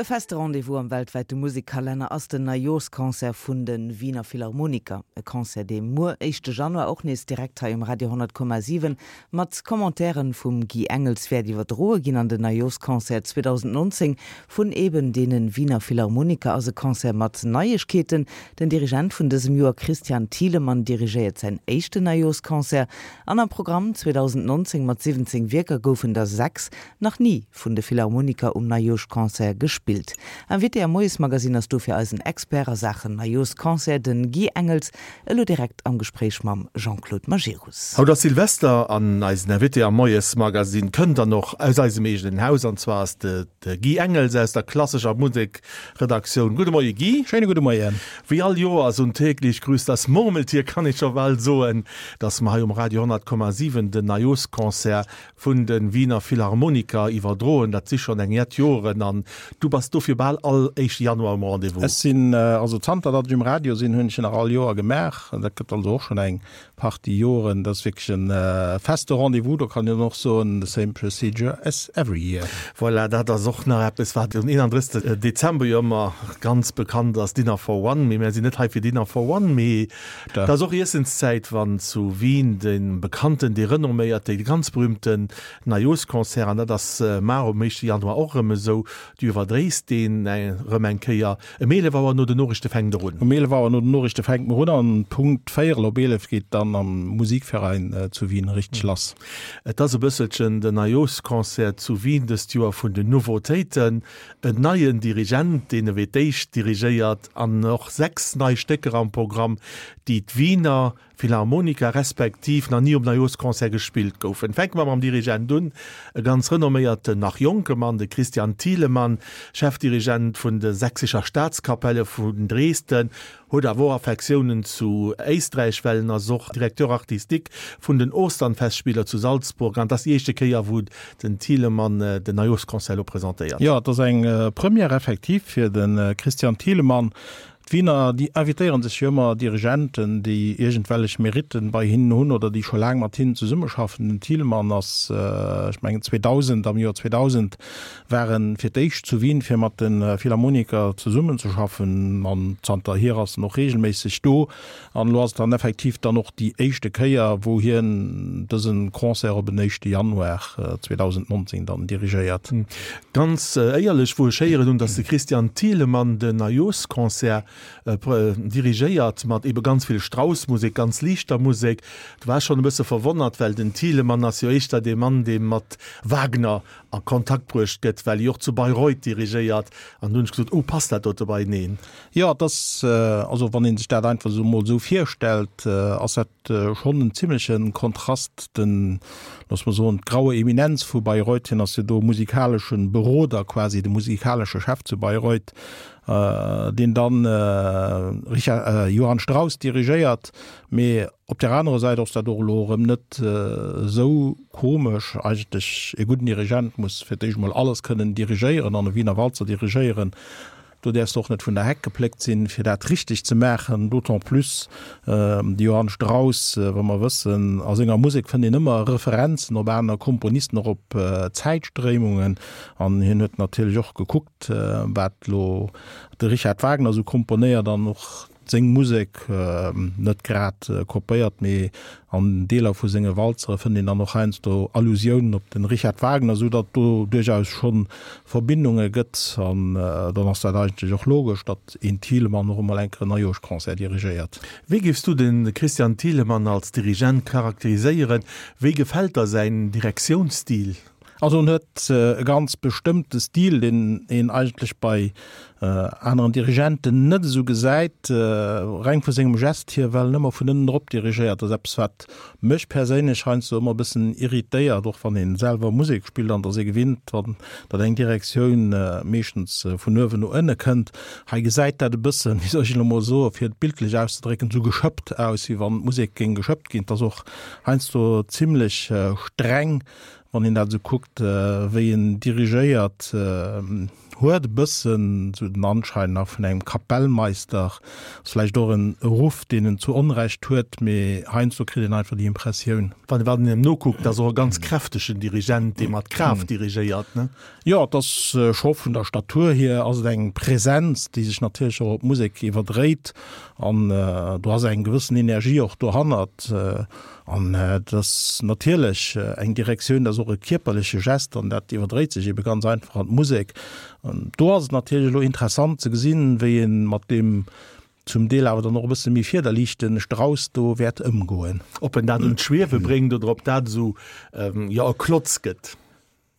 E feste Rendez-vous am weltwäite Musekkalenner ass den Neijooschconcert vun de Wiener Philharmoniker. E Concert, dee muer, éischte Januar, och nees direkt hei um Radio 100,7 mat Commentairen vum Guy Engels wäert iwwerdroe ginn. An den Neijooschconcert 2019 vun eben deene Wiener Philharmoniker ass e Concert mat Neiegkeeten. Den Dirigent vun dësem Joer, Christian Thielemann, dirigéiert säin éischten Neijooschconcert. An am Programm 2019 mat 17 Wierker goufen der 6 nach ni vun de Philharmoniker um Neijooschconcert gespillt. Invité am Moiesmagazine ass dofir eisen Expert a Saachen Neijooschconcert, den Guy Engels, elo direkt am Gespréich mam Jean-Claude Majerus. Haut ass Silvester an eisen Invité am Moiesmagazine kënnt dann och aus eisem eegenen Haus an zwar ass de de Guy Engels aus der klassescher Musekredaktioun. Gudde Moie Guy. Schéine gudde Moien. Wéi all Joers und täglich grüßt das Murmeltier kann ee scho bal soen, dass mer hei um Radio 100,7 den Neijooschconcert Vun de Wiener Philharmoniker iwwerdroen. Dat si schonn eng jett Joren an du bass dofir bal all éischte Januar um Rendez-vous. Ech sinn, also zanter datt ech um Radio sinn, hunn ech en nach all Joer gemaach. Dat gëtt also och schonn eng Partie Joren. Dat ass wierklech e feste Rendez-vous. Do kann een och soen, the same procedure as every year. Voilà, dat ass och nach eppes, wat um 31. Dezember jo ëmmer ganz bekannt ass, Dinner for One. Mee mär sinn net hei fir Dinner for One, mee Et ass och Iessenszäit, wann zu Wien de bekannten, dee renomméierte, dee ganz berühmten Neijooschconcert, an dat ass mar um éischte Januar och erëm esou, du iwwerdréis deen erëm eng Kéier. Ëm 11 Auer no den Noriichte fänkt er un. Um 11 Auer no den Noriichte fänkt mer un an Punkt véierel op 11 geet dann am Musikverein zu Wien richteg lass. Et ass e bësselchen den Neijooschconcert zu Wien dëst Joer vun den Nouveautéiten. En neien Dirigent, deen ewéi d'éischt dirigéiert, an och 6 nei Stécker am Programm, déi d'Wiener Philharmoniker respektiv nach ni um Neijooschconcert gespillt goufen. Fänke mer mam Dirigent un, e ganz renomméierten, nach jonke Mann, de Christian Thielemann, Chefdirigent vun de Sächsischer Staatskapelle vun Dresden, Huet awer och Affektiounen zu Éisträich, well en ass och Directeur artistique vun den Austernfestspieler zu Salzburg an et ass déi éischte Kéier, wou den Thielemann den Neijooschconcert elo presentéiert. Jo, et ass eng Première effektiv fir de Christian Thielemann. D'Wiener, déi invitéiere sech jo ëmmer Dirigenten, déi iergendwellech Meritten bei hinnen hunn oder déi scho laang mat hinnen zesummeschaffen. Den Thielemann ass, ech mengen 2000, am Joer 2000 war en fir d'éischt zu Wien fir mat de Philharmoniker zesummenzeschaffen an zanterhier ass en och regelméisseg do. An elo ass et dann effektiv dann och déi éischte Kéier wou hien dëse Concert op en éischte Januar 2019 dann dirigéiert. Ganz éierlech, wou ech héieren hunn, datt de Christian Thielemann den Neijooschconcert dirigéiert mat ebe ganz vill Strauss-Musek, ganz liichter Musek, do war ech schonn e bësse verwonnert, well den Thielemann ass jo éischter dee Mann, dee mat Wagner a Kontakt bruecht gëtt, well hie och zu Bayreuth dirigéiert, an du hunn ech gesot, oh, passt dat dote beieneen? Jo, et ass, also wann ee sech dat einfach esou emol esou virstellt, ass dat schonn en zimleche Kontrast, den, loosse mer soen, d'graue Eminenz vu Bayreuth, hien ass jo do musikalesche Beroder quasi, de musikalesche Chef zu Bayreuth, deen dann Richard, Johann Strauss dirigéiert, mee Op där anerer Säit ass dat och elo erëm net esou komesch. Eigentlech, e gudden Dirigent muss fir d'éischt emol alles kënnen dirigéieren an e Wiener Walzer dirigéieren. Do däerfs de och net vun der Heck gepléckt sinn, fir dat richteg ze maachen. D'autant plus de Johann Strauss, wa mer wëssen, a senger Musek fënnt een ëmmer Referenzen op aner Komponisten, och op Zäitstréimungen. An hien huet natierlech och gekuckt, wat elo de Richard Wagner esou komponéiert an och Seng Musek net grad kopéiert, mee an Deeler vu senge Walzere fënnt een dann och heiansdo Allusiounen op de Richard Wagner, sou datt do duerchaus scho Verbindunge gëtt. An dann ass dat eigentlech och logesch, datt een Thielemann och emol eng Kéier en Neijooschconcert dirigéiert. Wéi géifs du de Christian Thielemann als Dirigent charakteriséieren? Wéi gefält der säin Direktiounsstil? Also en huet e ganz bestëmmte Stil, deen een eigentlech bei aneren Dirigenten net esou gesäit, reng vu sengem Gest hier, well en ëmmer vun ënnen erop dirigéiert. Dat ass eppes, wat mech perséinlech heiansdo ëmmer e bëssen irritéiert, och wann ee selwer Musek spillt an et ass ee gewinnt, wann datt eng Direktioun meeschtens vun uewen no ënne kënnt. Hei gesäit dat e bëssen, wéi soll ech elo mol soen, fir et bildlech auszedrécken, esou geschëppt aus, wéi wann d'Musek géing geschëppt ginn. Et ass och heiansdo zimlech streng, Wann een dat esou kuckt, wéi en dirigéiert. Huet e bëssen esou den Anschein nach vun engem Kapellmeister. Ass vläicht och en Ruff, deen en zu Onrecht huet, mee heiansdo kritt een einfach déi Impressioun. Wann een em nokuckt, ass och e ganz kräftegen Dirigent, dee mat Kraaft dirigéiert, ne? Jo, et ass scho vun der Statur hier ass et eng Präsenz, déi sech natierlech och op d'Musek iwwerdréit an do ass eng gewëssen Energie och dohannert. An et ass natierlech eng Direktioun, dat ass och e kierperleche Gest an dat iwwerdréit sech ebe ganz einfach an d'Musek. An do ass et natierlech elo interessant ze gesinn, wéi ee mat deem zum Deel awer dann och e bësse méi fiederliichte Strauss do wäert ëmgoen. Ob en dat un d'Schwiewe bréngt oder ob dat esou, jo, e Klotz gëtt.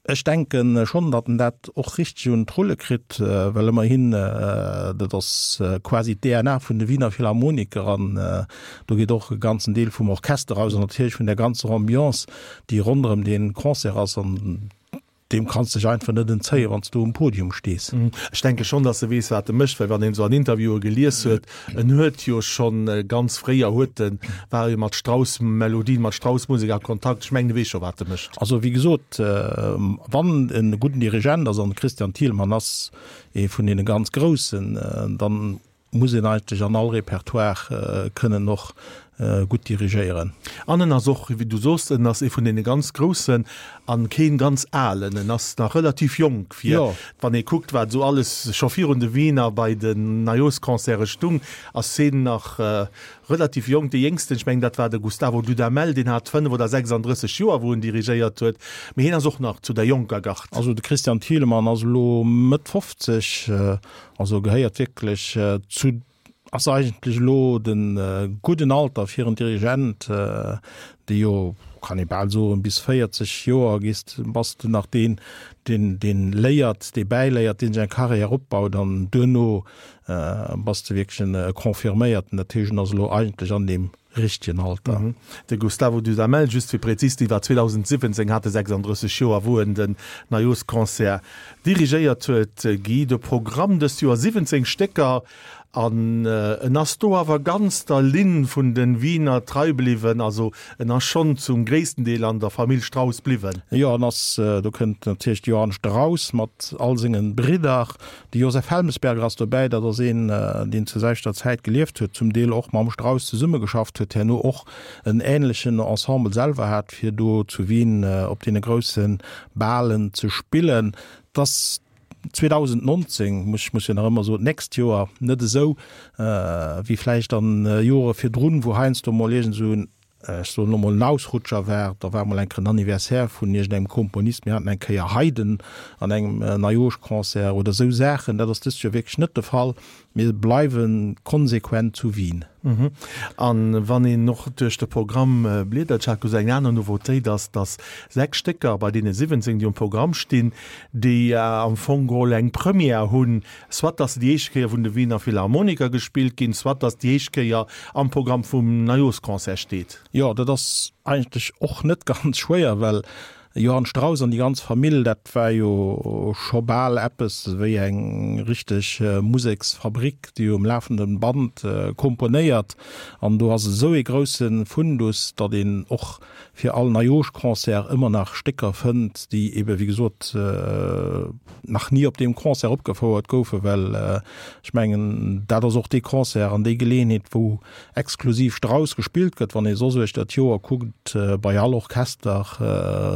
Ech denke schonn, datt en dat och richteg un d'Rulle kritt, well ëmmerhin, dat ass quasi d'DNA vun de Wiener Philharmoniker an do geet och e ganzen Deel vum Orchester aus an natierlech vun der ganzer Ambiance, déi ronderëm dee Concert ass an deem kanns de dech einfach net entzéien, wann s du um Podium stees. Ech denke schonn, datt e weess, wat e mécht, well wann een esou an Interviewe gelies huet, En huet jo schonn ganz fréier huet en, war e mat Strauss-Melodien, mat Strauss-Musek a Kontakt. Ech mengen, e weess scho wat e mécht. Also wéi gesot, wann en e gudden Dirigent ass, an de Christian Thielemann ass ee vun deene ganz Groussen, dann muss een eigentlech an all Repertoire kënnen och gutt dirigéieren. An en ass och, wéi du soos, en ass ee vun deene ganz Groussen an keen ganz Alen. En ass nach relativ jonk fir, wann ee kuckt, wat esou alles scho virun de Wiener bei den Neijooschconcerte stung, ass heen nach relativ jonk. Dee Jéngsten, ech mengen, dat war de Gustavo Dudamel, deen hat 5 oder 36 Joer, wou en dirigéiert huet. Mee heen ass och nach zu der jonker Gard. Also de Christian Thielemann ass elo Mëtt 50, also gehéiert wierklech zu Ass eigentlech elo de gudden Alter fir en Dirigent, dee jo, kann ee bal soen, bis 40 Joer gees, bass de nach deen, deen, deen léiert, dee bäiléiert, deen sech eng Carrière opbaut an duerno bass de wierklech en Confirméierten. Dat heescht, en ass elo eigentlech an deem richtegen Alter. De Gustavo Dudamel, just fir prezis ze sinn, war 2017, hat e 36 Joer, wou en den Neijooschconcert dirigéiert huet. Guy, de Programm dëst Joer 17 Stécker, an en ass do awer ganz der Linn vun de Wiener trei bliwwen, also en ass schonn zum gréissten Deel an der Famill Strauss bliwwen. Jo, en ass, do kënnt natierlech de Johann Strauss mat all senge Bridder, De Josef Helmesberger ass dobäi, dat ass een, deen zur selwechter Zäit gelieft huet, zum Deel och mam Strauss zesummegeschafft huet, herno och en änlechen Ensemble selwer hat, fir do zu Wien op deene grousse Balen ze spillen. Et ass 2019, muss ech muss jo nach ëmmer soen, d'nächst Joer, net esou wéi vläicht an Jore virdrun, wou heiansdo mol iergend esou en ech soen elo mol, en Ausrutscher war, da war mol eng Kéier en Anniversaire vun iergendengem Komponist, mir haten eng Kéier Haydn an engem Neijooschconcert oder esou Saachen. Dat ass dëst Joer wierklech net de Fall. Mir bleiwe konsequent zu Wien. A wann een och duerch de Programm bliedert, ech hat gesot, eng aner Nouveautéit ass, datt 6 Stécker bei deene 17, déi um Programm stinn, déi am Fong geholl eng Première hunn, soit datt se déi éischt Kéier vun de Wiener Philharmoniker gespillt ginn, soit datt déi éischt Kéier am Programm vum Neijooschconcert steet. Jo, dat ass eigentlech och net ganz schwéier, well Johann Strauss an déi ganz Famill, dat war jo scho bal eppes wéi eng richteg Museksfabrik, déi um lafenden Band komponéiert. An do ass esou ee grousse Fundus, datt een och fir all Neijooschconcert ëmmer nach Stécker fënnt, déi ebe wéi gesot nach ni op deem Concert opgefouert goufen, well ech mengen, dat ass och dee Concert an déi Geleeënheet, wou exklusiv Strauss gespillt gëtt. Wann ee soss uechter d'Joer kuckt, bei all Orchester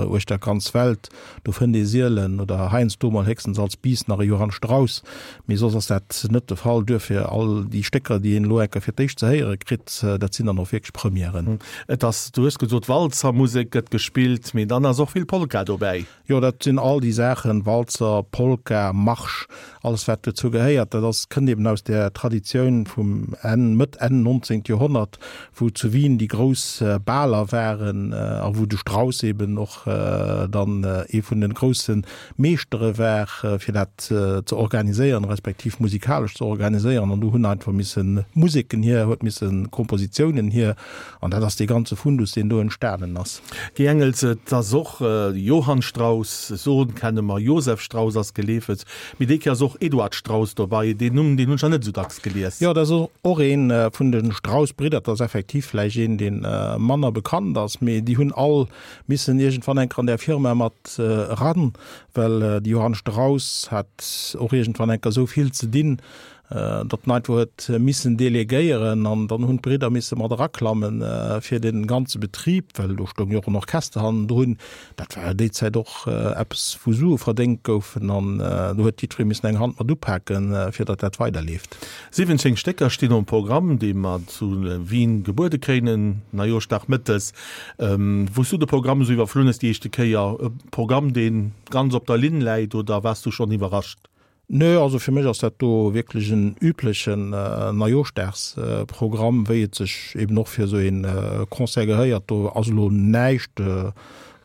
uechter d'ganz Welt, Do fënnt ee sielen oder heiansdo mol héchstens als Bis nach e Johann Strauss, mee soss ass dat net de Fall. Duerfir all déi Stécker, déi een elo enker fir d'éischt ze héiere kritt, dat sinn dann och wierklech Premièren. Et ass, du hues gesot, Walzermusek gëtt gespillt, mee dann ass och vill Polka dobäi. Jo, dat sinn all déi Saachen, Walzer, Polka, Marsch, alles wat dozou gehéiert. Dat ass, kënnt eben aus där Traditioun vum Enn, Mëtt, Enn 19. Joerhonnert, wou zu Wien déi grouss Baler waren a wou de Strauss eben och dann ee vun de grousse Meeschtere war, fir dat ze organiséieren, respektiv musikalesch ze organiséieren. An do hunn einfach misse Museken hier, huet misse Kompositiounen hier. An dat ass dee ganze Fundus, deen do entstanen ass. Guy Engels, Et ass och Johann Strauss, Sohn kenne mer, Josef Strauss ass geleefelt. Mee déi Kéier ass och Eduard Strauss dobei. Deen Numm, deen hunn ech nach net esou dacks gelies. Jo, dat ass och ee vun de Strauss-Bridder. Dat ass effektiv vläicht een, dee manner bekannt ass, mee déi hunn all missen iergendwann eng Kéier an. an där Firma mat eran, well de Johann Strauss hat och iergendwann enker esou vill ze dinn, datt en einfach huet missen delegéieren an dann hunn d'Bridder misse mat eraklammen fir dee ganze Betrib, well do stoung jo och en Orchester hannendrun, dat war jo déi Zäit och eppes wou Sue verdéngt goufen an do huet jiddweree missen eng Hand mat upaken, fir datt dat weiderleeft. 17 Stécker stinn um Programm, déi mer zu Wien gebuede kréien Neijooschdag mëttes. Wou s du de Programm esou iwwerflunn hues déi éischte Kéier, e Programm dee ganz op der Linn läit oder waars du schonn iwwerrascht? Nö, also fir mech ass dat do wierklech en üblechen Neijooschdagsprogramm, wéi et sech eben och fir esou ee Concert gehéiert. Do ass elo näischt,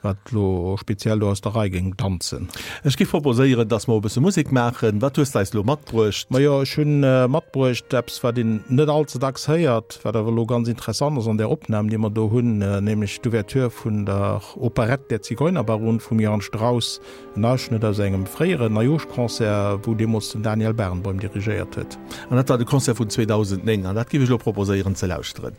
wat elo speziell do aus der Rei géing danzen. Ech géif proposéieren, dass mer e bësse Musek maachen. Wat hues de eis elo matbruecht? Majo, ech hu matbruecht eppes, wat een net all ze dacks héiert, wat awer elo ganz interessant ass an där Opnam, déi mer do hunn, nämlech d'Ouverture vun der Operett Der Zigeunerbaron vum Johann Strauss. En Ausschnëtt aus engem fréieren Neijooschconcert, wou deemools den Daniel Barenboim dirigéiert huet. An dat war de Concert vun 2009, an dat géif ech elo proposéieren ze lauschteren.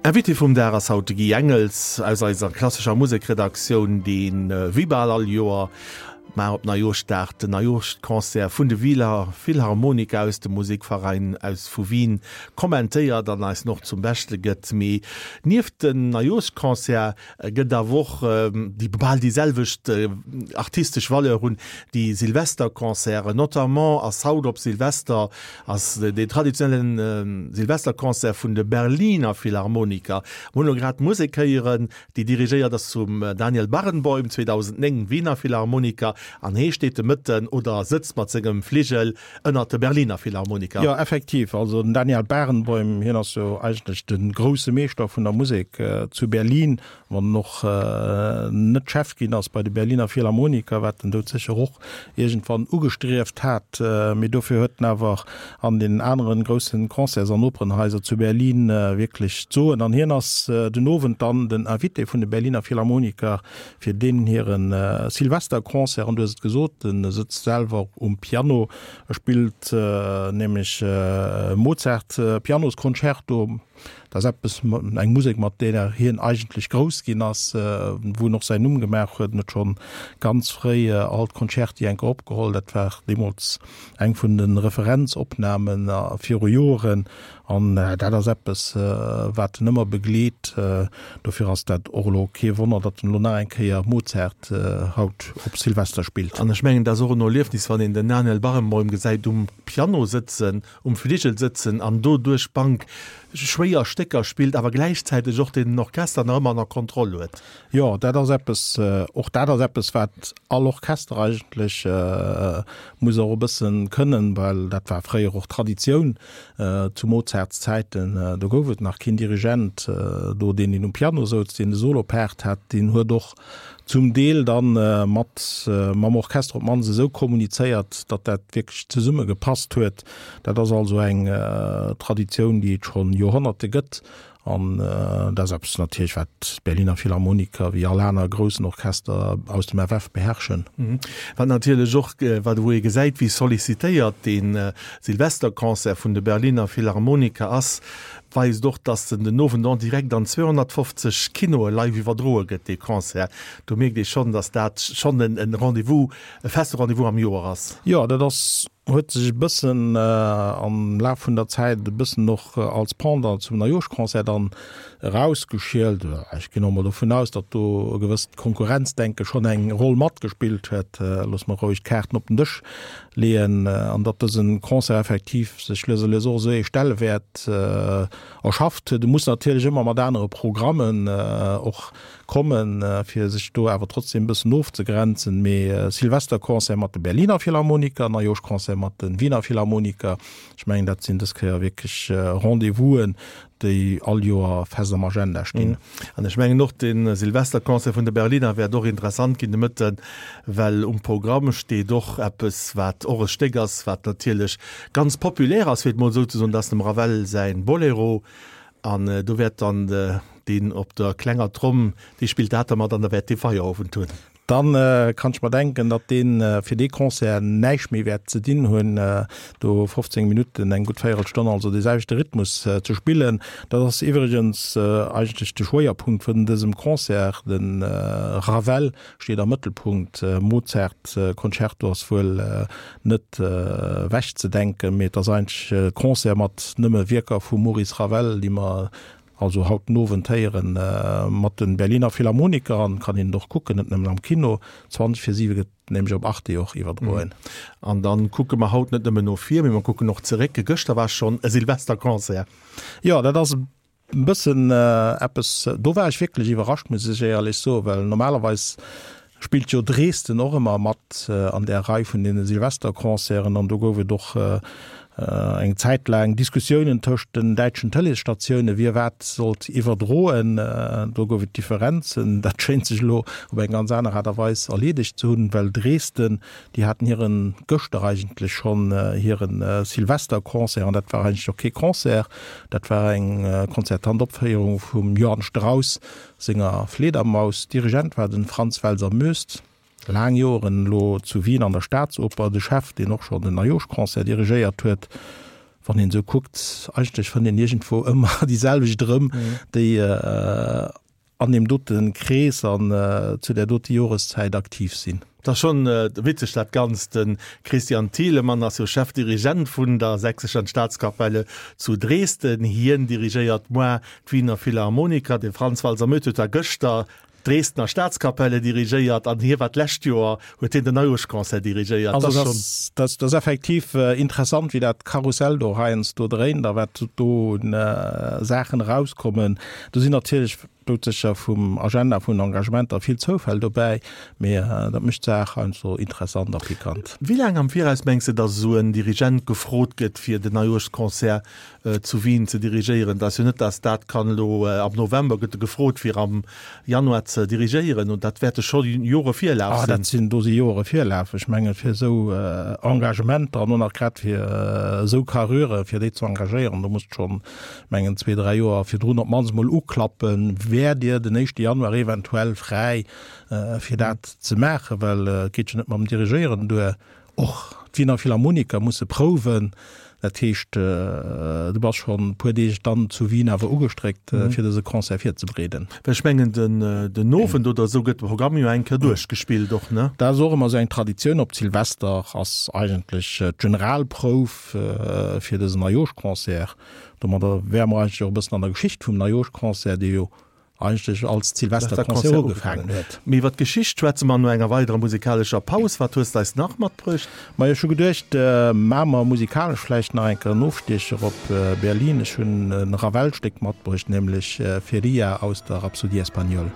Invité vum Dag ass haut de Guy Engels aus eiser klassescher Musekredaktioun, deen wéi bal all Joer mar op Neijooschdag den Neijooschconcert vun de Wieler Philharmoniker aus dem Musikverein aus vu Wien kommentéiert an eis en och zum Beschte gëtt. Mee nieft den Neijooschconcert gëtt awer och, déi bal déi selwecht artistesch Valeur hunn, déi Silvesterconcerten. Notamment ass haut op Silvester ass deen traditionelle Silvesterconcert vun de Berliner Philharmoniker. Mir hunn elo grad d'Musek héieren, déi dirigéiert ass vum Daniel Barenboim, 2009 Wiener Philharmoniker. Philharmoniker an hee steet de Mëtten oder sëtzt mat sengem Fligel ënnert de Berliner Philharmoniker. Jo, effektiv. Also den Daniel Barenboim, hien ass jo eigentlech de grousse Meeschter vun der Musek zu Berlin, wann en och net Chef ginn ass bei de Berliner Philharmoniker, wat en doudsécher och iergendwann ugestrieft hat. Mee dofir huet en awer an deenen aneren groussen Concerts an Operenhaiser zu Berlin wierklech d'Soen. An hien ass den Owend dann den Invité vun de Berliner Philharmoniker fir deenen hire Silvesterconcert. An du hues et gesot, en sëtzt selwer um Piano, e spillt nämlech Mozart Pianosconcerto. Dat ass eppes, eng Musek, mat deeër hien eigentlech grouss ginn ass, wou en och säin Numm gemaach huet. En huet schonn ganz fréi all d'Concerti enke opgeholl. Dat war deemools eng vun de Referenzopname viru Joren. An dat ass eppes, wat en ëmmer begleet. Dofir ass dat och elo kee Wonner, datt en elo nach eng Kéier Mozart haut op Silvester spillt. An ech mengen, dat ass och en Erliefnis, wann een den Daniel Barenboim gesäit um Piano sëtzen, um Fligel sëtzen an do duerch d'Bank schwéier Stécker spillt, awer gläichzäiteg och den Orchester nach ëmmer ënner Kontroll huet. Jo, dat ass eppes, och dat ass eppes, wat all Orchester eigentlech muss och e bëssen kënnen, well dat war fréier och Traditioun zu Mozarts Zäiten. Do gouf et nach keen Dirigent do, deen een um Piano souz, deen de Solopart hat, deen huet och zum Deel dann mat mam Orchester op d'mannst esou kommunizéiert, datt dat wierklech zesumme gepasst huet. Dat ass also eng Traditioun, déi et schonn Joerhonnerte gëtt. An dat ass eppes natierlech, wat d'Berliner Philharmoniker wéi all aner groussen Orchester aus dem FF beherrschen. Wat natierlech och, wat wou ee gesäit, wéi sollicitéiert dee Silvesterconcert vun de Berliner Philharmoniker ass, weist och, dass en den Owend en direct an 250 Kinoe live iwwerdroe gëtt, dee Concert. Do mierkt ee schonn, dass dat schonn e Rendez-vous, e feste Rendez-vous am Joer ass. Jo, dat ass, huet sech e bëssen am Laf vun der Zäit e bëssen och als Pendant zum Neijooschconcert dann erausgeschielt. Ech ginn och mol dovun aus, datt do e gewësst Konkurrenzdenke schonn eng Roll matgespillt huet. Loosse mer roueg d'Kaarten op den Dësch leeën an datt dëse Concert effektiv sech lues a lues och esou ee Stellewäert erschafft huet. E muss natierlech ëmmer mat anere Programmen och kommen, fir sech do awer trotzdem e bëssen ofzegrenzen. Mee Silvesterconcert mat de Berliner Philharmoniker, Neijooschconcert mat de Wiener Philharmoniker, ech mengen dat sinn dës Kéier wierklech Rendez-vousen, déi all Joer fest am Agenda stinn. An ech mengen och, de Silvesterconcert vun de Berliner wäert och interessant ginn de Mëtten, well um Programm steet och eppes, wat och e Stéck ass, wat natierlech ganz populär ass, fir et mol esou ze soen, dat ass dem Ravel säin Bolero. An do wäert dann deen op der klenger Tromm, dee spillt dat da mat an da wäert dee Feierowend hunn. Dann kann ech mer denken, datt deen fir dee Concert näischt méi wäert ze dinn hunn, do 15 Minutten, eng gutt Véierelstonn, also dee selwechte Rhythmus ze spillen. Dat ass iwwregens eigentlech de Schwéierpunkt vun dësem Concert. De Ravel steet am Mëttelpunkt, Mozart Concerto ass wuel net ewech ze denken, mee et ass eigentlech e Concert mat nëmme Wierker vum Maurice Ravel, déi mer Also haut den Owend héieren mat den Berliner Philharmoniker an kann een et och kucken, net nëmmen am Kino. 20 vir 7 gëtt nämlech op Arte och iwwerdroen. An dann kucke mer haut net nëmmen no vir, mee mer kucken och zeréck. Gëschter war schonn e Silvesterconcert. Jo, dat ass e bëssen eppes, do war ech wierklech iwwerrascht, muss ech éierlech soen, well normalerweis spillt jo Dresden och ëmmer mat an där Rei vun deene Silvesterconcerten an do gouf et och eng Zäit laang Diskussiounen tëscht den däitschen Tëleesstatioune wie wat sollt iwwerdroen. Do gouf et Differenzen. Dat schéint sech elo op eng ganz aner Aart a Weis erleedegt ze hunn, well Dresden, déi haten hiren gëschter eigentlech schonn hire Silvesterconcert an dat war eigentlech och kee Concert, dat war eng konzertant Opféierung vum Johann Strauss Senger Fledermaus. Dirigent war den Franz Welser-Möst, laang Joeren elo zu Wien an der Staatsoper de Chef, deen och schonn den Neijooschconcert dirigéiert huet. Wann een esou kuckt, eigentlech fënnt een iergendwou ëmmer déi selwecht erëm, déi an deem dote Krees an zu där dote Joreszäit aktiv sinn. Et ass schonn witzeg dat Ganzt. De Christian Thielemann ass jo Chefdirigent vun der Sächsischen Staatskapelle zu Dresden. Hien dirigéiert moar d'Wiener Philharmoniker. De Franz Walser-Möth huet da gëschter d'Dresdner Staatskapelle dirigéiert an hie war d'lescht Joer, huet hien den Neujooschconcert dirigéiert. Also dat ass effektiv interessant, wéi dat Karussell do heiansdo dréint a wat do un Saachen erauskommen. Do sinn natierlech. Doudsécher vum Agenda vun Engagementer vill Zoufäll dobäi, mee dat mécht d'Saach heiansdo interessant a pikant. Wéi laang am Viraus mengs de, datt esou en Dirigent gefrot gëtt, fir den Neijooschconcert zu Wien ze dirigéieren? Dat ass jo net, datt dat kann elo am November gëtt e gefrot, fir am Januar ze dirigéieren, und dat wäerte scho Jore Virlaf sinn. Dat sinn, do si Jore Virlaf. Ech mengen, fir esou Engagementer an och nach grad fir esou Carrure, fir déi ze engagéieren, do muss schonn mengen zwee, dräi Joer virdrun op d'mannst emol uklappen, Wäert Dir den éischte Januar eventuell fräi, fir dat ze maachen? Well et geet jo net mam Dirigéieren duer, och d'Wiener Philharmoniker musse prouwen. Dat heescht, du bass schonn e puer Deeg dann zu Wien awer ugestréckt, fir dëse Concert virzebereeden. Well ech mengen, den Owend oder esou gëtt de Programm jo eng Kéier duerchgespillt och, ne? Dat ass och ëmmer esou eng Traditioun. Op Silvester ass eigentlech d'Generalprouf. fir dësen Neijooschconcert. Domadder wäre mer eigentlech och e bëssen an der Geschicht vum Neijooschconcert, dee jo eigentlech als Silvesterconcert ugefaangen huet. Mee iwwer d'Geschicht schwätze mer no enger weiderer musikalescher Paus. Wat hues de eis nach matbruecht? Majo, ech hu geduecht, maache mer musikalesch vläicht nach eng Kéier en Ofstiecher op Berlin. Ech hunn e Ravel-Stéck matbruecht, nämlech Feria aus der Rhapsodie espagnole.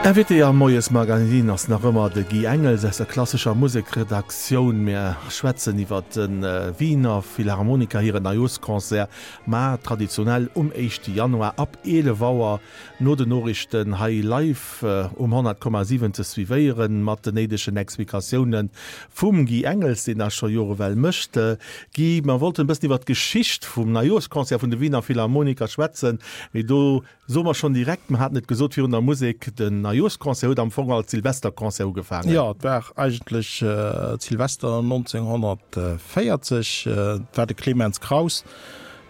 Invité am Moiesmagazin ass nach ëmmer de Guy Engels aus der klassescher Musekredaktioun. Mir schwätzen iwwer de Wiener Philharmoniker hiren Neijooschconcert mar traditionell um éischte Januar ab 11 Auer no den Noriichten hei live um 100,7 ze suivéieren, mat den néidegen Explikatioune vum Guy Engels, deen dat scho Jore well mécht. Guy, mer wollten e bëssen iwwer d'Geschicht vum Neijooschconcert vun de Wiener Philharmoniker schwätzen, mee do soe mer schonn direkt, mer haten et gesot virun der Musek, den Neijooschconcert huet am Fong als Silvesterconcert ugefaangen. Jo, et war eigentlech Silvester 1940, et war de Clemens Krauss.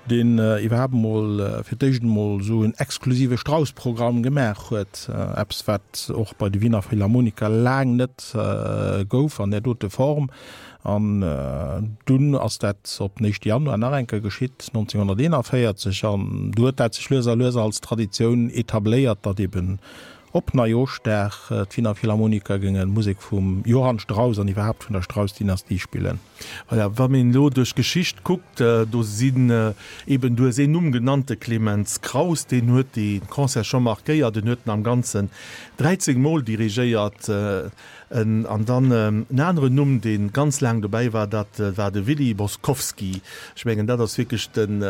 Deen iwwerhaapt emol fir d'éischt emol esou en exklusive Strauss-Programm gemaach huet, eppes wat och bei de Wiener Philharmoniker laang net gouf an där dote Form. An dunn ass dat op den éischte Januar nach eng Kéier geschitt, 1941, an du huet dat sech lues a lues als Traditioun etabléiert, datt eben Op Neijoschdag d'Wiener Philharmoniker géinge Musek vum Johann Strauss an iwwerhaapt vun der Strauss-Dynastie spillen. Voilà, wann een elo duerch d'Geschicht kuckt, do sinn eben, du hues een Numm genannt, de Clemens Krauss, deen huet dee Concert scho markéiert, en huet en am Ganzen 13 Mol dirigéiert. An dann en aneren Numm, dee ganz laang dobäi war, dat war de Willy Boskovsky. Ech mengen, dat ass wierklech den,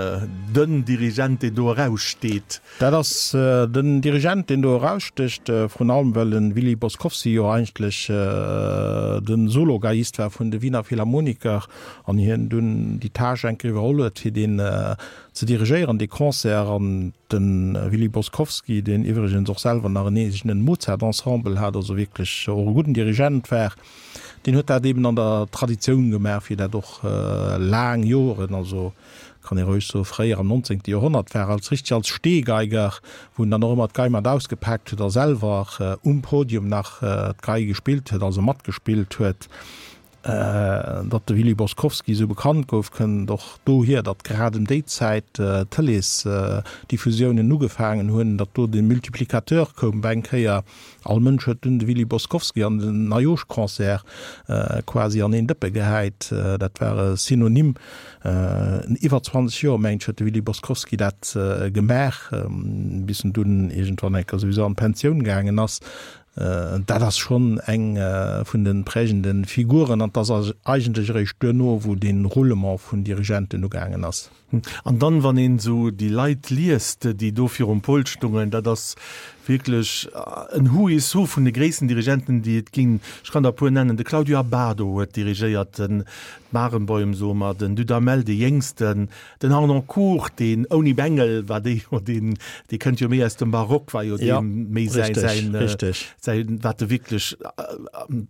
den Dirigent, deen do eraussteet. Dat ass den Dirigent, deen do erausstécht, vrun allem well de Willy Boskovsky jo eigentlech de Solo-Geiist war vun de Wiener Philharmoniker an hien dunn déi Tâche eng Kéier iwwerholl huet, fir deen ze dirigéieren, dee Concert. An de Willy Boskovsky, deen iwwregens och selwer nach en eegenen Mozart-Ensemble hat, also wierklech och e gudden Dirigent war, deen huet dat eben an der Traditioun gemaach, wéi dat och laang Joren, also kann ee roueg soen, fréier am 19. Joerhonnert war, als richteg als Stehgeiger, wou en dann och ëmmer d'Gei mat ausgepaakt huet a selwer um Podium nach d'Gei gespillt huet, also matgespillt huet. Datt de Willy Boskovsky esou bekannt gouf, kënnt och dohier, datt grad ëm déi Zäit d'Tëleesdiffusiounen ugefaangen hunn, datt do de Multiplicateur koum op eng Kéier. All Mënsch huet dunn de Willy Boskovsky an den Neijoschconcert quasi an een Dëppe gehäit. Dat war e Synonym. Iwwer 20 Joer, mengt ech, huet de Willy Boskovsky dat gemaach, bis en dunn iergendwann eng Kéier souwisou an d'Pensioun gaangen ass. Dat ass schonn eng vun de prägende Figuren an 't ass eigentlech eréischt duerno, wou dee Roulement vun Dirigenten ugaangen ass. An dann, wann een esou déi Leit liest, déi do virum Pult stungen, dat ass wierklech en Who is Who vun de gréissten Dirigenten, déi et ginn. Ech kann der e puer nennen, de Claudio Abbado huet dirigéiert, den Barenboim, soe mer, den Dudamel, dee Jéngsten, Den Harnoncourt, deen ouni Bengel war, dee jo deen, dee kënnt jo méi aus dem Barock, war jo Ja, deem méi säi, richtig, säin, richtig. säin, wat e wierklech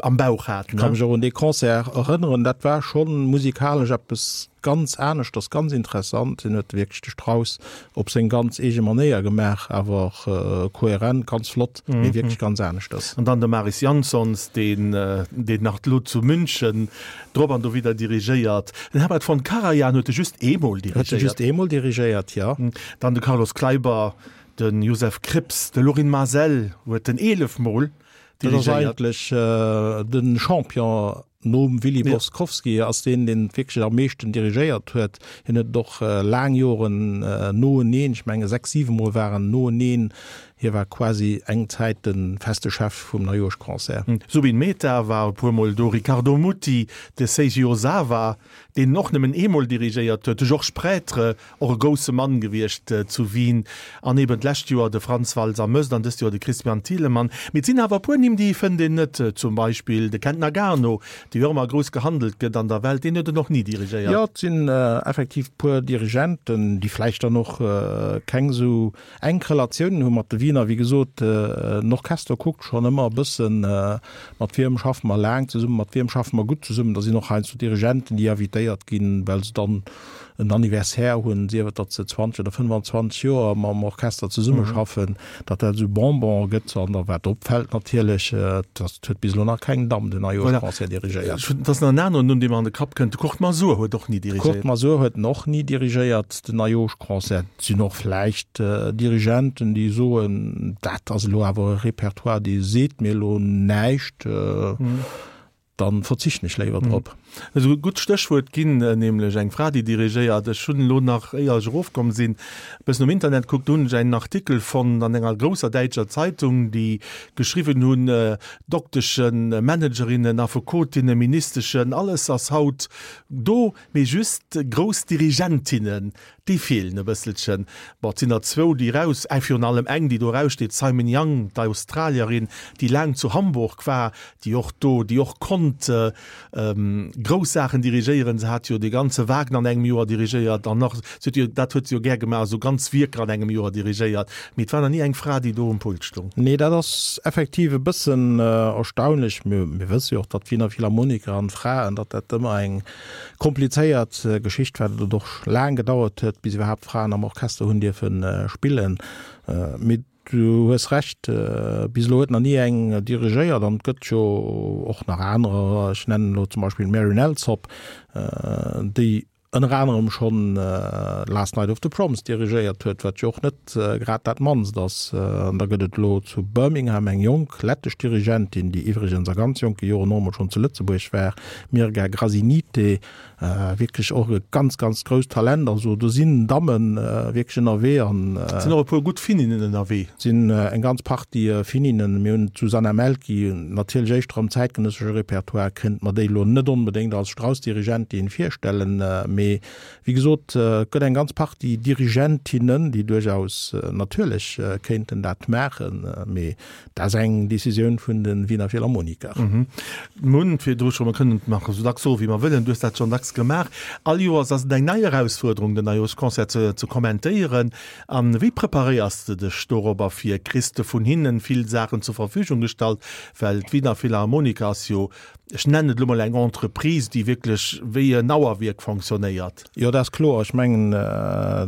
am Bauch hat, Ech ka ne? mech och un dee Concert erënneren, dat war schonn musikalesch eppes ganz aneschters, ganz interessant. Hien huet wierklech de Strauss op seng ganz eege Manéier gemaach, awer och kohärent, ganz flott, mee wierklech ganz aneschters. An dann de Mariss Jansons, deen, deen nach elo zu München Drop an dowidder dirigéiert. Den Herbert von Karajan huet e just eemol dirigéiert. Huet e just eemol dirigéiert, jo. Dann de Carlos Kleiber, de Josef Krips, de Lorin Maazel huet en 11 mol dirigéiert. Dat ass eigentlech de Champion nom Willy Boskovsky, ass deen, deen wierklech am meeschten dirigéiert huet. Hien huet et och laang Joren noeneen, ech menge 6, 7 mol war en noeneen Hie war quasi eng Zäit de feste Chef vum Neijoerschconcert. Zubin Mehta war e puer Mol do, Riccardo Muti, de Seiji Ozawa, deen en och nëmmen eemol dirigéiert huet, de Georges Prêtre, och e grousse Mann gewiescht zu Wien, an eben d'lescht Joer de Franz Walser-Möst an dëst Joer de Christian Thielemann. Mee et sinn awer e puer Nimm, déi fënnt een net, zum Beispill de Kent Nagano, dee jo ëmmer grouss gehandelt gëtt an der Welt, deen huet en och ni dirigéiert. Jo, et sinn effektiv e puer Dirigenten, déi vläicht dann och keng esou Enk Relatiounen hu mat de Wiener. Wéi gesot, den Orchester kuckt schonn ëmmer e bëssen, mat wiem schaffe mer laang zesummen, mat wiem schaffe mer gutt zesummen. Da sinn och heiansdo Dirigenten, déi invitéiert ginn, well se dann en Anniversaire hunn, sief et, datt se 20 oder 25 Joer mam Orchester zesummeschaffen, datt dat esou Bonbon gëtt. An da wat opfält natierlech, datt huet bis elo nach keng Damm den Neijooschconcert dirigéiert. Et ass nach en aneren Numm, dee mer an de Kapp kënnt, de Kurt Masur huet och ni dirigéiert. Kurt Masur huet en och ni dirigéiert, den Neijooschconcert. Et sinn och vläicht Dirigenten, déi soen, dat ass elo awer e Repertoire, dee seet mir elo näischt, da verzichten ech léiwer drop. Esou e gutt Stéchwuert ginn, nämlech eng Fra, déi dirigéiert. Ech hunn elo nach, éier ech erofkomm sinn, e bëssen um Internet kuckt, do hunn ech einen Artikel fonnt an enger grousser däitscher Zeitung, déi geschriwwen hunn, Dokteschen, Managerinnen, Affekotinnen, Ministeschen, alles ass haut do, mee just grouss Dirigentinnen, Déi feelen e bësselchen. Bon, et sinn der zwou, déi eraus, eng, virun allem eng, déi do eraussteet, d'Simon Young, d'Australierin, déi laang zu Hamburg war, déi och do, déi och konnt. Grouss Saachen dirigéieren. Se hat jo de ganze Wagner an engem Joer dirigéiert an nach, se huet jo, dat huet se jo gär gemaach, esou ganz Wierker an engem Joer dirigéiert. Mee et war nach ni eng Fra, déi do um Pult stoung. Nee, dat ass effektiv e bëssen erstaunlech. Mir wësse jo och, datt d'Wiener Philharmoniker an d'Fraen, datt dat ëmmer eng komplizéiert Geschicht war, datt et och laang gedauert huet, bis iwwerhaapt Fraen am Orchester hunn dierfe spillen. Mee du hues Recht, bis elo huet nach ni eng dirigéiert an et gëtt jo och nach anerer, ech nennen elo zum Beispill d'Marin Alsop, déi ënner anerem schonn Last Night of the Proms dirigéiert huet, wat jo och net grad dat mannst ass. An da gëtt et elo zu Birmingham eng jonk lettesch Dirigentin, déi iwwregens a ganz jonke Joren och emol schonn zu Lëtzebuerg war, Mirga Grazinyte, wierklech och e ganz, ganz grousst Talent. Also do sinn Damme wierklech ënnerwee an. Et sinn och e puer gutt Finninnen ënnerwee. Et sinn eng ganz Partie Finninnen. Mir hunn d'Susanna Mälkki, natierlech éischter am zäitgenëssesche Repertoire, kéint mer déi elo net onbedéngt als Strauss-Dirigentin virstellen, mee wéi gesot, et gëtt eng ganz Partie Dirigentinnen, déi duerchaus natierlech kéinten dat maachen, mee dat ass eng Decisioun vun de Wiener Philharmoniker. Mir hunn et virdru scho, mer kënnen et nach esou dacks soen, wéi mer wëllen, du hues dat schonn dacks gemaach, all Joers ass et eng nei Erausfuerderung, den Neijooschconcert ze kommentéieren. A wéi preparéiers de dech dorobber fir? Kriss de vun hinnen vill Saachen zur Verfügung gestallt? Well d'Wiener Philharmoniker ass jo, ech nennen et elo mol eng Entreprise, déi wierklech wéi en Auerwierk fonctionnéiert. Jo, dat ass kloer. Ech mengen,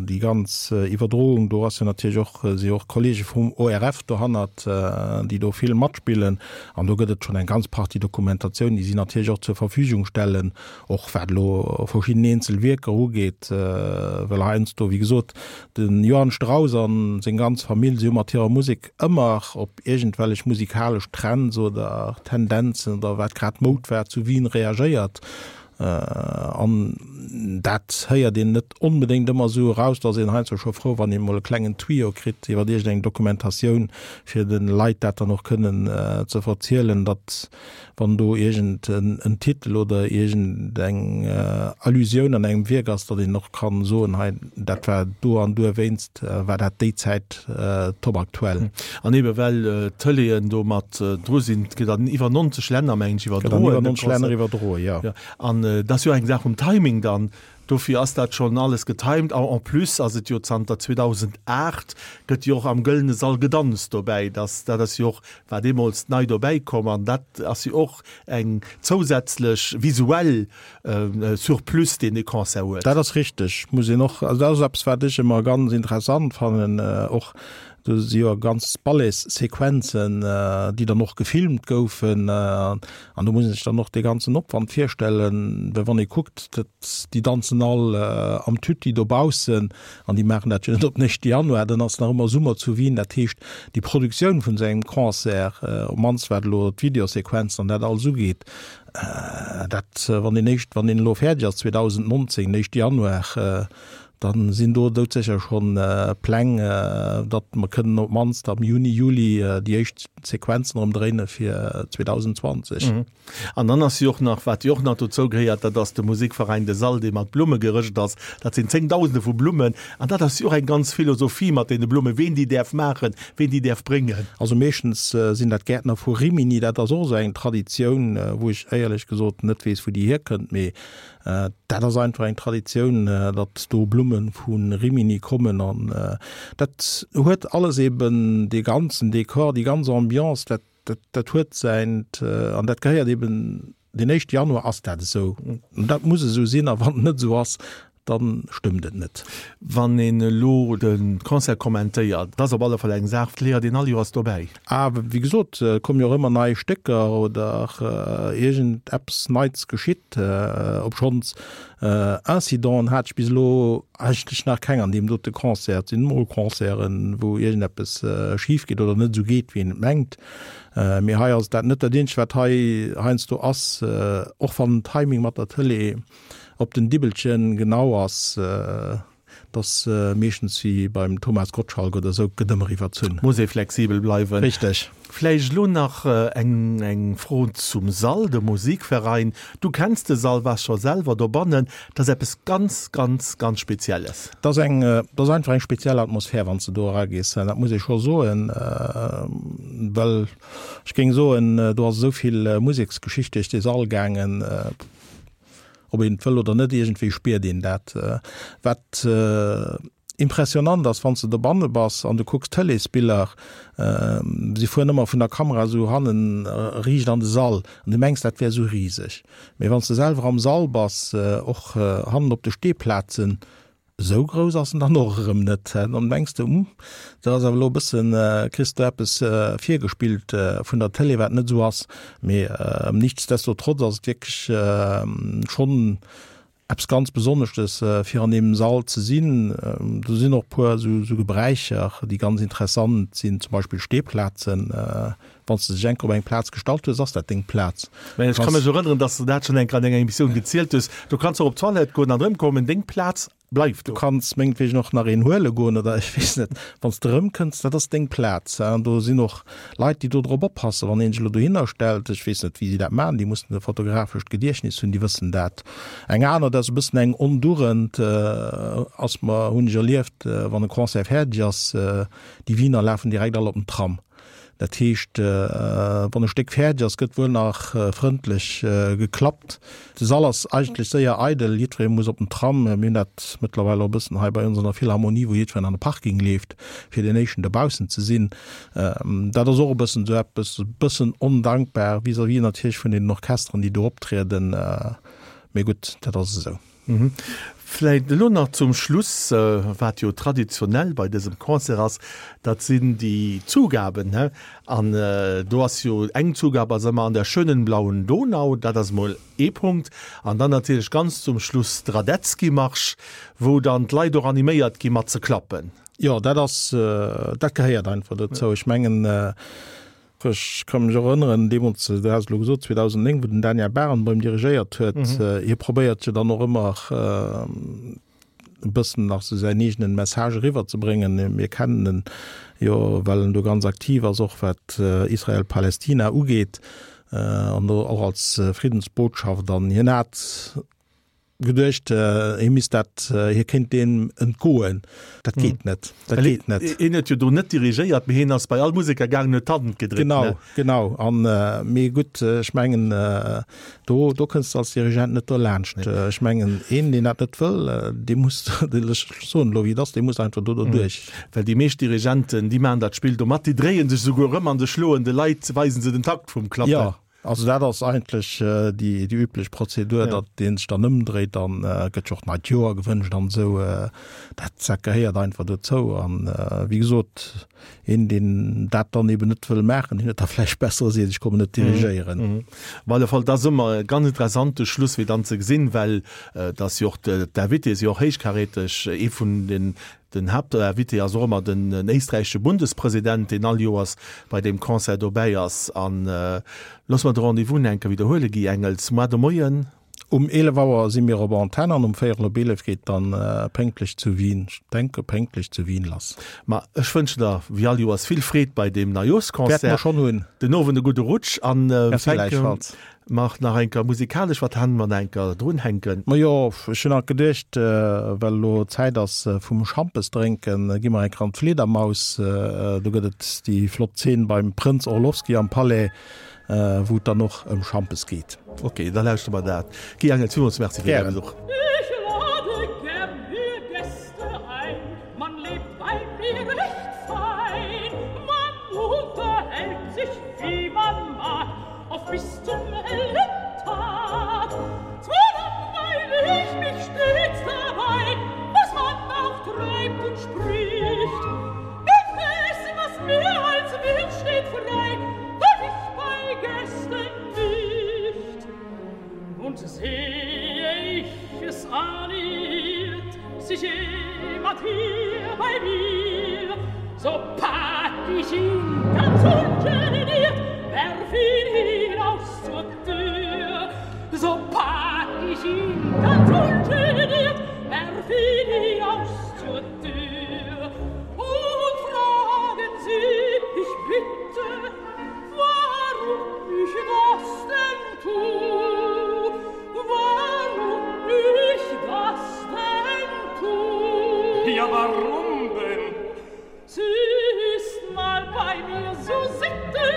déi ganz Iwwerdroung, do ass jo natierlech och, si jo och Kollege vum ORF dohannert, déi do vill matspillen. An do gëtt et schonn eng ganz Partie Dokumentatioun, déi si natierlech och zur Verfügung stellen, och wat elo verschidden eenzel Wierker ugeet, well heiansdo, wéi gesot, de Johann Strauss a seng ganz Famill, si hu mat hirer Musek ëmmer op iergendwellech musikalesch Trends oder Tendenzen oder wat grad Moud war zu Wien reagéiert. An dat héiert een net onbedéngt ëmmer esou eraus. Do ass een heiansdo scho frou, wann een emol e klengen Tuyau kritt iwwer iergendeng Dokumentatioun, fir de Leit dat dann och kënnen ze verzielen, datt wann do iergend en Titel oder iergend eng Allusioun an engem Wierk ass, datt een och kann soen, hei dat war do an duerwéinst war dat déi Zäit top aktuell. An ebe well d'Tëleeën do mat dru sinn, et gëtt an iwwer 90 Länner, mengen ech, iwwerdroen. Gëtt an iwwer 90 Länner iwwerdroen, jo. Jo, an et ass jo eng Saach vum Timing dann. Dofir ass dat schonn alles getimed. A en plus ass et jo zanter 2008 gëtt jo och am Gëllene Sall gedanzt dobäi. Dass, dat ass jo och, war deemools nei dobäi komm an dat ass jo och eng zousätzlech visuell Surplus, deen de Concert huet. Dat ass richteg, muss een och, also dat ass eppes, wat ech ëmmer ganz interessant fannen, och do si jo ganz Balletssequenzen, déi dann och gefilmt goufen. An do muss een sech dann och dee ganzen Opwand virstellen, well wann ee kuckt, dat, déi danzen all am Tutti dobaussen an déi maachen dat jo net op den éischte Januar, dann ass nach ëmmer Summer zu Wien. Dat heescht, déi Produktioun vun esou engem Concert, op d'mannst wat elo d'Videosequenzen an dat alles ugeet, dat, wann deen éischt, wann deen elo fäerdeg ass 2019, den éischte Januar, Dann sinn do doudsécher schonn Pläng, datt mer kënnen op d'mannst am Juni, Juli déi éischt Sequenzen erëm dréine fir 2020. An dann ass jo och nach, wat jo och nach dozou gehéiert, dat ass de Musikverein de Sall, dee mat Blumme gerëscht ass. Dat sinn Zéngdausende vu Blummen. An dat ass jo och eng ganz Philosophie mat deene Blummen, ween déi däerf maachen, ween déi däerf bréngen. Also meeschtens sinn dat Gäertner vu Rimini. Dat ass och esou eng Traditioun, wou ech éierlech gesot net weess, wou déi hierkënnt, mee Dat ass einfach eng Traditioun, datt do Blumme vu Rimini kommen an dat huet alles eben dee ganzen Dekor, déi ganz Ambiance, dat, dat, dat huet säint an dat gehéiert eben, den éischte Januar ass dat esou. Dat muss esou sinn a wann et net esou ass, da stëmmt et net. Wann een elo de Concert kommentéiert, dat ass op alle Fall eng Saach, léiert een all Joers dobäi. A wéi gesot, et kommen jo och ëmmer nei Stécker oder iergend eppes Neits geschitt. Obschonns Incidenten hat ech bis elo eigentlech nach keng an deem dote Concert. Et sinn mol Concerten, wou iergend eppes schif geet oder net esou geet, wéi een et mengt. Mee hei ass et dat net. Dat eenzegt, wat hei heiansdo ass, och wann den Timing mat der Tëlee op den Dibbelchen genau ass, 't ass meeschtens wéi beim Thomas Gottschalk oder esou, 't gëtt ëmmer iwwerzunn. Muss ee flexibel bleiwen. Richteg. Vläicht elo nach eng eng Fro zum Sall, de Musikverein. Du kenns de Sall, waars scho selwer dobannen. Dat ass eppes ganz, ganz, ganz Spezielles. 't ass eng, 't ass einfach eng speziell Atmosphär, wann s de do eragees. Dat muss ee scho soen, well ech géing soen, do ass esou vill Museksgeschicht duerch dee Sall gaangen. Ob een et wëll oder net, iergendwéi spiert een dat. Wat impressionant ass, wann s de dobanne bass an du kucks Tëleesbiller, si fueren ëmmer vun der Kamera esou hannen riicht an de Sall an du mengs, dat wär esou riseg. Mee wann s de selwer am Sall bass, och hannen op de Steeplazen, Esou grouss ass en dann och erëm net. Dann mengs de, Hm, dat ass awer elo e bëssen, kriss de eppes virgespillt vun der Tëlee, wat net esou ass. Mee nichtsdestotrotz ass et wierklech schonn eppes ganz Besonneschtes, fir an deem Sall ze sinn. Do sinn och e puer esou Gebräicher, déi ganz interessant sinn, zum Beispill Steeplazen. Wann s de dech enker op eng Plaz gestallt hues, ass dat deng Plaz. Mä ech ka mech erënneren, dass s de dat schonn enker an enger Emissioun gezielt hues. Du kanns och op d'Toilette goen an erëmkommen, deng Plaz bleift do. Du kanns mengetwegen och nach een huele goen oder ech weess net. Wann s de erëmkënns, dat ass deng Plaz. An do sinn och Leit, déi do drop oppassen. Wann een sech elo dohinner stellt, ech weess net, wéi si dat maachen, déi mussen e fotografescht Gediechtnis hunn, déi wëssen dat. Eng aner, dat ass e bëssen eng Ondugend, ass mer, hunn ech erlieft, wann e Concert fäerdeg ass, déi Wiener lafen direkt all op den Tram. Dat heescht, wann e Stéck fäerdeg ass, gëtt wuel nach frëndlech geklappt. De Sall ass eigentlech séier eidel, jiddweree muss op den Tram. Mir hunn dat mëttlerweil och e bëssen hei bei ons an der Philharmonie, wou jiddwereen an de Parking leeft, fir deen éischten dobaussen ze sinn. Dat ass och e bëssen esou eppes, e bëssen ondankbar vis-à-vis natierlech vun deenen Orchesteren, déi do optrieden. Mee gutt, dat ass esou. Vläit elo nach zum Schluss, wat jo traditionell bei dësem Concert ass, dat sinn déi Zugaben. An do ass jo eng Zugab ass ëmmer An der schönen blauen Donau, dat ass emol ee Punkt. An dann natierlech ganz zum Schluss de Radetzky-Marsch, wou dann d'Leit och animéiert gi mat ze klappen. Jo, dat ass, dat gehéiert einfach dozou. Ech mengen, Ech ka mech och erënneren, deemools, du has et elo gesot, 2009, wou den Daniel Barenboim dirigéiert huet, hie probéiert jo dann och ëmmer e bëssen nach sou säin eegenen Message eriwwerzebréngen. Mir kennen en jo, well en do ganz aktiv ass, och wat Israel-Palästina ugeet, an do och als Friddensbotschaft. An hien hat Geduecht, hie misst dat, hie kéint deem entgoen. Dat geet net, dat geet net. Hien huet jo do net dirigéiert, mee hien ass bei all Museker gaangen, huet d'Hand gedréckt, ne? Genau, genau. An, mee gutt, ech mengen, do, do kënns de als Dirigent net derlaanscht. Ech mengen, een, deen dat net wëll, dee muss, ech soen elo wéi et ass, dee muss einfach do derduerch. Well déi meescht Dirigenten, déi maachen dat Spill do mat, déi dréie sech esouguer erëm an se schloen de Leit, weisen se den Takt vum Klappen. Jo, Also dat ass eigentlech déi déi üblech Prozedur, datt ee sech dann ëmdréit, dann gëtt jo och d'neit Joer gewënscht an esou. Dat dat gehéiert einfach dozou. An wéi gesot, een deen dat dann eben net wëll maachen, deen huet da vläicht besser e seet, ech kommen net dirigéieren. Op alle Fall, et ass ëmmer e ganz interessante Schluss fir dann ze gesinn, well et ass jo och, d'Invitée si jo och héichkaräteg, ee vun den Den Haaptinvité ass och ëmmer den éisträichesche Bundespresident, deen all Joers bei deem Concert dobäi ass. An loosse mer de Rendez-vous nach eng Kéier widderhuelen, Guy Engels, Moar de Moien. Um 11 Auer si mir op Antenn an um véierel op 11 geet dann pénktlech zu Wien, ech denke pénktlech zu Wien lass. Ma ech wënschen der wéi all Joers vill Freed bei deem Neijooschconcert. Wäerte mer schonn hunn. Den Owend e gudde Rutsch an Merci gläichfalls. Mach nach enker musikalesch, wat han mer nach enker drun hänken? Majo, ech hun alt geduecht, well elo Zäit ass vum Schampes drénken, gi mer enker an d'Fliedermaus. Do gëtt et déi flott Zeen beim Prënz Orlowski am Palais, wou et dann och ëm Schampes geet. Ok, da lauschtere mer dat. Guy Engels, villmools Merci fir däi Besuch. Ich lade gern mir Gäste ein, man lebt bei mir recht fein, man unterhält sich wie man mag, Oft bis zum hellen Tag. Zwar langweil ich mich stets dabei, was man auch treibt und spricht. Indes, was mir als Wirt steht frei, darf ich bei Gästen nicht. Und sehe ich es anirrt sich jemand hier bei mir, so pack ich ihn ganz ungeniert, werf ihn hinaus zur Tür. So pack ich ihn ganz ungeniert, werf ihn hinaus zur Tür. Und fragen Sie, ich bitte, warum ich das denn tu, warum ich das denn tu. Ja, warum denn? Sie ist mal bei mir so sitte,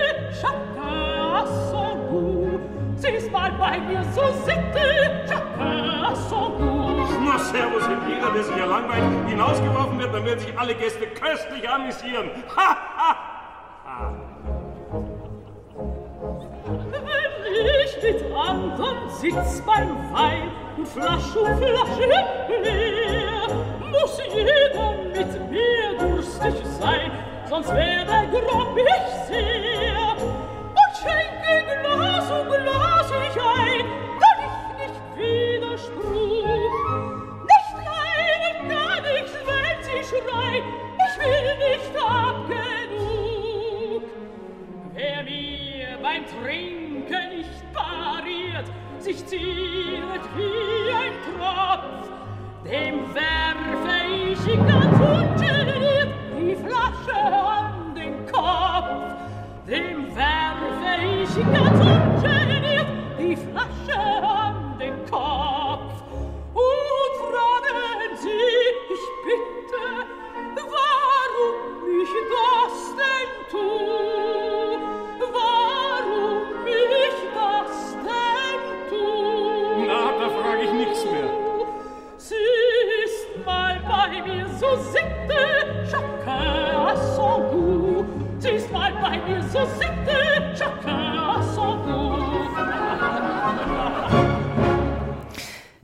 chacun a son goût. Sie ist mal bei mir so sitte, chacun. dass wenn jeder, der sich hier langweilt, hinausgeworfen wird, dann werden sich alle Gäste köstlich amüsieren. Ha, ha, ha. Wenn ich mit andern sitz beim Wein und Flasch um Flasche leer, muss jeder mit mir durstig sein, sonst wär grob ich sehr. Und schenke Glas um Glas ich ein, kann ich nicht Widerspruch. Nicht leiden kann ich's, wenn sie schreien, ich will nicht ab genug. Wer mir beim Trinken nicht pariert, sich zieret wie ein Tropf, dem werfe ich ganz ungeniert die Flasche an den Kopf. Dem werfe ich ganz ungeniert die Flasche an den Kopf. Und fragen Sie, ich bitte, warum ich das denn tu? Warum ich das denn tu? Na, da frag ich nix mehr. Sie ist mal bei mir so sitte, chacun a son goût. Sie ist mal bei mir so sitte, chacun a son goût.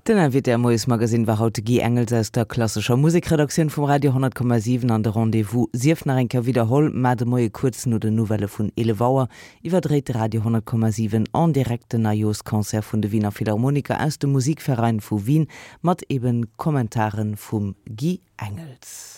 Den Invité am Moiesmagazine war haut de Guy Engels aus der klassescher Musekredaktioun vum Radio 10,7 an de Rendez-vous sief nach eng Kéier widderholl, mar de Moie kuerz no den Nouvellë vun 11 Auer iwwerdréit de Radio 10,7 en direct den Neijoorsconcert vun de Wiener Philharmoniker aus dem Musikverein vu Wien mat eben Kommentare vum Guy Engels.